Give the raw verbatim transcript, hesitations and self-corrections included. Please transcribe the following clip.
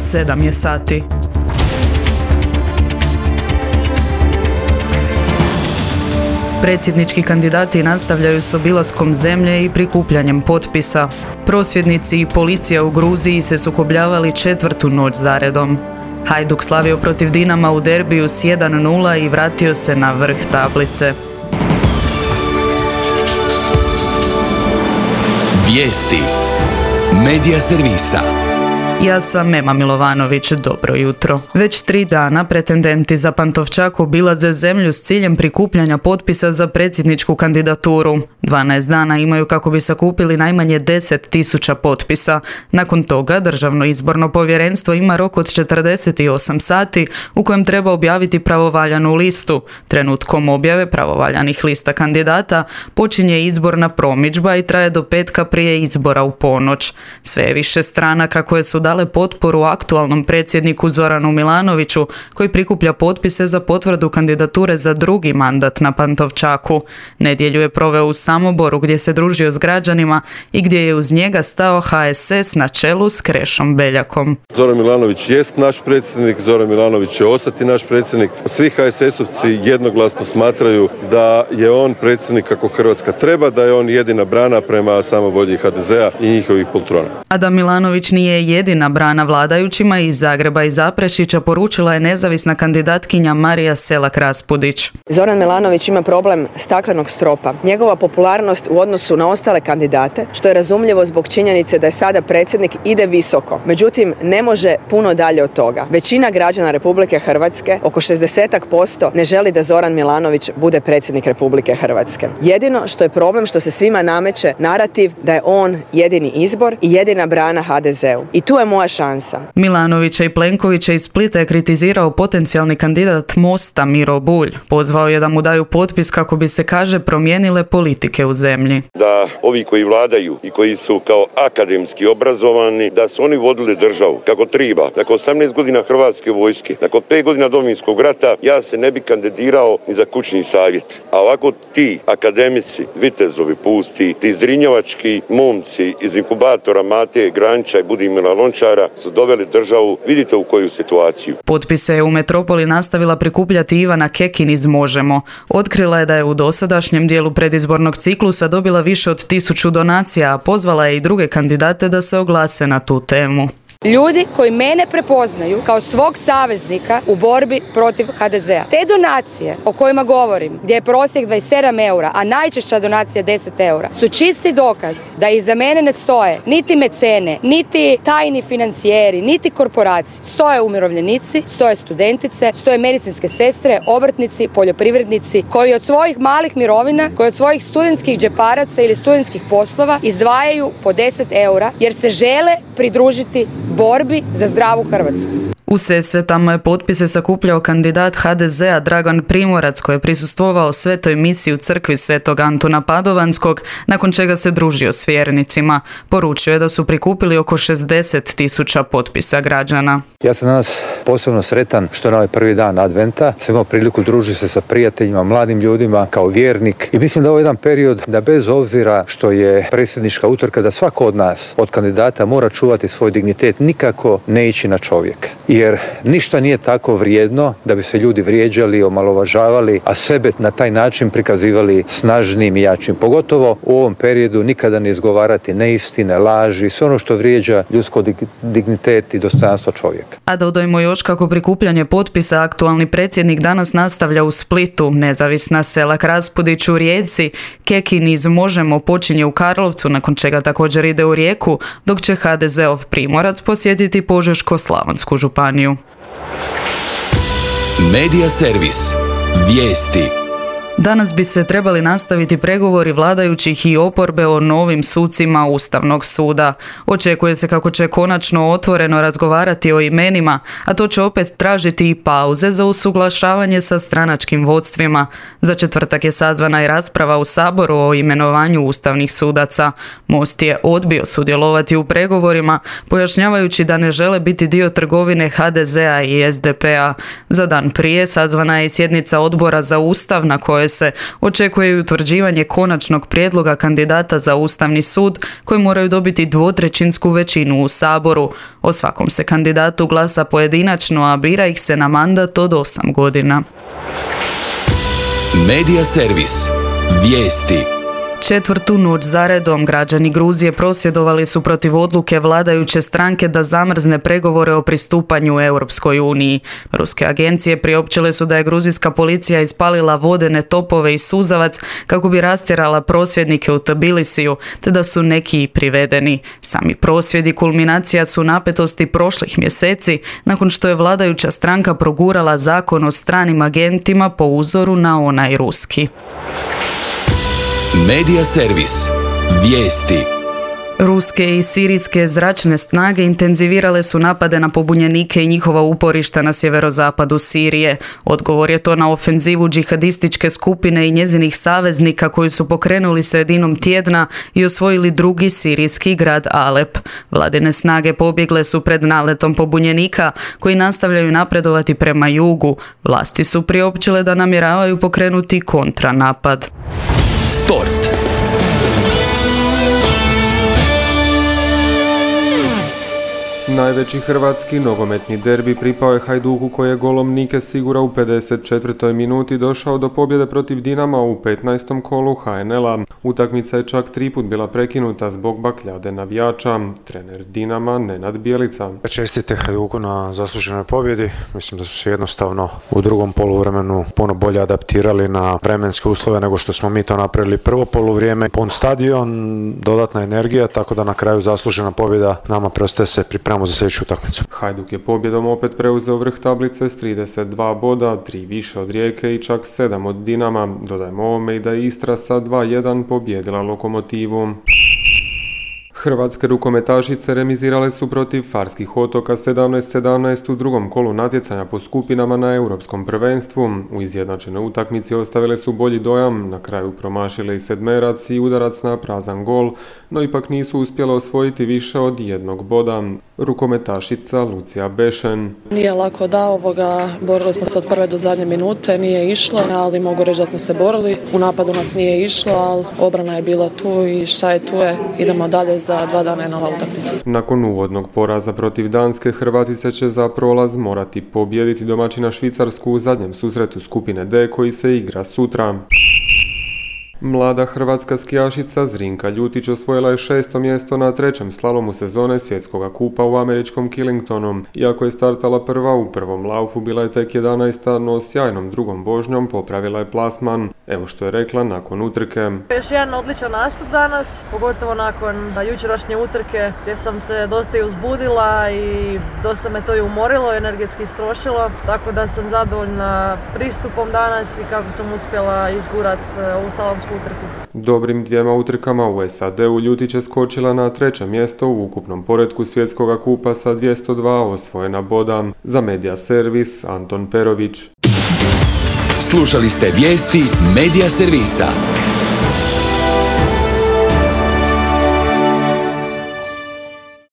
sedam je sati. Predsjednički kandidati nastavljaju s obilaskom zemlje i prikupljanjem potpisa. Prosvjednici i policija u Gruziji se sukobljavali četvrtu noć zaredom. Hajduk slavio protiv Dinama u derbiju s jedan nula i vratio se na vrh tablice. Vijesti Medija servisa. Ja sam Ema Milovanović, dobro jutro. Već tri dana pretendenti za Pantovčak obilaze zemlju s ciljem prikupljanja potpisa za predsjedničku kandidaturu. dvanaest dana imaju kako bi sakupili najmanje deset tisuća potpisa. Nakon toga Državno izborno povjerenstvo ima rok od četrdeset osam sati u kojem treba objaviti pravovaljanu listu. Trenutkom objave pravovaljanih lista kandidata počinje izborna promidžba i traje do petka prije izbora u ponoć. Sve je više stranaka koje su dale potporu aktualnom predsjedniku Zoranu Milanoviću, koji prikuplja potpise za potvrdu kandidature za drugi mandat na Pantovčaku. Nedjelju je proveo u Samoboru gdje se družio s građanima i gdje je uz njega stao H S S na čelu s Krešom Beljakom. Zoran Milanović jest naš predsjednik, Zoran Milanović će ostati naš predsjednik. Svi H S S-ovci jednoglasno smatraju da je on predsjednik kako Hrvatska treba, da je on jedina brana prema samovolji H D Z-a i njihovih poltrona. A da Milanović nije jedina brana vladajućima, iz Zagreba i Zaprešića poručila je nezavisna kandidatkinja Marija Selak-Raspudić. Zoran Milanović ima problem staklenog stropa. Njegova popularnost u odnosu na ostale kandidate, što je razumljivo zbog činjenice da je sada predsjednik, ide visoko. Međutim, ne može puno dalje od toga. Većina građana Republike Hrvatske, oko šezdeset posto, ne želi da Zoran Milanović bude predsjednik Republike Hrvatske. Jedino što je problem što se svima nameće narativ da je on jedini izbor i jedina brana H D Z-u. I tu je moja šansa. Milanovića i Plenkovića iz Splita je kritizirao potencijalni kandidat Mosta Miro Bulj. Pozvao je da mu daju potpis kako bi se, kaže, promijenile politike u zemlji. Da ovi koji vladaju i koji su kao akademski obrazovani, da su oni vodili državu kako treba. Nakon osamnaest godina Hrvatske vojske, nakon pet godina Domovinskog rata, ja se ne bi kandidirao ni za kućni savjet. A ovako ti akademici, vitezovi pusti, ti zrinjevački momci iz inkubatora Mate Granča i Budimira Lončara su doveli državu, vidite u koju situaciju. Potpise je u metropoli nastavila prikupljati Ivana Kekin iz Možemo. Otkrila je da je u dosadašnjem dijelu predizbornog ciklusa dobila više od tisuću donacija, a pozvala je i druge kandidate da se oglase na tu temu. Ljudi koji mene prepoznaju kao svog saveznika u borbi protiv H D Z-a. Te donacije o kojima govorim, gdje je prosjek dvadeset sedam eura, a najčešća donacija deset eura, su čisti dokaz da iza mene ne stoje niti mecene, niti tajni financijeri, niti korporacije. Stoje umirovljenici, stoje studentice, stoje medicinske sestre, obrtnici, poljoprivrednici, koji od svojih malih mirovina, koji od svojih studentskih džeparaca ili studentskih poslova izdvajaju po deset eura, jer se žele pridružiti borbi za zdravu Hrvatsku. U Sesvetama je potpise sakupljao kandidat H D Z-a Dragan Primorac, koji je prisustvovao svetoj misiji u crkvi Svetog Antuna Padovanskog, nakon čega se družio s vjernicima. Poručio je da su prikupili oko šezdeset tisuća potpisa građana. Ja sam danas posebno sretan što na ovaj prvi dan Adventa sam imao priliku družiti se sa prijateljima, mladim ljudima, kao vjernik. I mislim da ovo je jedan period da bez obzira što je predsjednička utrka, da svako od nas, od kandidata, mora čuvati svoj dignitet, nikako ne ići na čovjeka. Jer ništa nije tako vrijedno da bi se ljudi vrijeđali, omalovažavali, a sebe na taj način prikazivali snažnim i jačim. Pogotovo u ovom periodu nikada ne izgovarati neistine, laži, sve ono što vrijeđa ljudsko dignitet i dostojanstvo čovjeka. A dodajmo još kako prikupljanje potpisa aktualni predsjednik danas nastavlja u Splitu, nezavisna Selak-Raspudić u Rijeci, Kekin iz Možemo počinje u Karlovcu, nakon čega također ide u Rijeku, dok će H D Z-ov Primorac posjetiti Požeško-slavonsku županiju. Medija servis. Vijesti. Danas bi se trebali nastaviti pregovori vladajućih i oporbe o novim sucima Ustavnog suda. Očekuje se kako će konačno otvoreno razgovarati o imenima, a to će opet tražiti i pauze za usuglašavanje sa stranačkim vodstvima. Za četvrtak je sazvana i rasprava u Saboru o imenovanju ustavnih sudaca. Most je odbio sudjelovati u pregovorima, pojašnjavajući da ne žele biti dio trgovine H D Z-a i S D P-a. Za dan prije sazvana je i sjednica odbora za Ustav na kojoj koje se očekuje i utvrđivanje konačnog prijedloga kandidata za Ustavni sud koji moraju dobiti dvotrećinsku većinu u Saboru. O svakom se kandidatu glasa pojedinačno, a bira ih se na mandat od osam godina. Medija servis. Vijesti. Četvrtu noć zaredom građani Gruzije prosvjedovali su protiv odluke vladajuće stranke da zamrzne pregovore o pristupanju Europskoj uniji. Ruske agencije priopćile su da je gruzijska policija ispalila vodene topove i suzavac kako bi rastjerala prosvjednike u Tbilisiju, te da su neki i privedeni. Sami prosvjedi kulminacija su napetosti prošlih mjeseci nakon što je vladajuća stranka progurala zakon o stranim agentima po uzoru na onaj ruski. Medija servis. Vijesti. Ruske i sirijske zračne snage intenzivirale su napade na pobunjenike i njihova uporišta na sjeverozapadu Sirije. Odgovor je to na ofenzivu džihadističke skupine i njezinih saveznika koji su pokrenuli sredinom tjedna i osvojili drugi sirijski grad Alep. Vladine snage pobjegle su pred naletom pobunjenika koji nastavljaju napredovati prema jugu. Vlasti su priopćile da namjeravaju pokrenuti kontranapad. Sport. Najveći hrvatski nogometni derbi pripao je Hajduku koji je golom Nike Sigura u pedeset četvrtoj minuti došao do pobjede protiv Dinama u petnaestom kolu ha en el a. Utakmica je čak tri put bila prekinuta zbog bakljade navijača. Trener Dinama Nenad Bjelica. Čestite Hajduku na zasluženoj pobjedi. Mislim da su se jednostavno u drugom poluvremenu puno bolje adaptirali na vremenske uslove nego što smo mi to napravili prvo poluvrijeme. Pun stadion, dodatna energija, tako da na kraju zaslužena pobjeda. Nama preostaje se pripremamo za sljedeću utakmicu. Hajduk je pobjedom opet preuzeo vrh tablice s trideset dva boda, tri više od Rijeke i čak sedam od Dinama. Dodajmo ovome i da je Istra sa dva jedan pobjedila Lokomotivu. Hrvatske rukometašice remizirale su protiv Farskih otoka sedamnaest sedamnaest u drugom kolu natjecanja po skupinama na Europskom prvenstvu. U izjednačenoj utakmici ostavile su bolji dojam, na kraju promašile i sedmerac i udarac na prazan gol, no ipak nisu uspjele osvojiti više od jednog boda. Rukometašica Lucija Bešen. Nije lako da ovoga, borili smo se od prve do zadnje minute, nije išlo, ali mogu reći da smo se borili. U napadu nas nije išlo, ali obrana je bila tu i šta je tu je, idemo dalje. Za dva dana je nova utakmica. Nakon uvodnog poraza protiv Danske, Hrvatice će za prolaz morati pobijediti domaćina Švicarsku u zadnjem susretu skupine D koji se igra sutra. Mlada hrvatska skijašica Zrinka Ljutić osvojila je šesto mjesto na trećem slalomu sezone svjetskog kupa u američkom Killingtonu. Iako je startala prva u prvom laufu, bila je tek jedanaesta, no sjajnom drugom vožnjom popravila je plasman. Evo što je rekla nakon utrke. Još jedan odličan nastup danas, pogotovo nakon jučerašnje utrke gdje sam se dosta i uzbudila i dosta me to i umorilo, energetski istrošilo, tako da sam zadovoljna pristupom danas i kako sam uspjela izgurat ovu slalomsku utrku. Dobrim dvijema utrkama u es a de-u Ljutić je skočila na treće mjesto u ukupnom poretku svjetskoga kupa sa dvjesto dva osvojena boda. Za Medija servis Anton Perović. Slušali ste vijesti Medija servisa.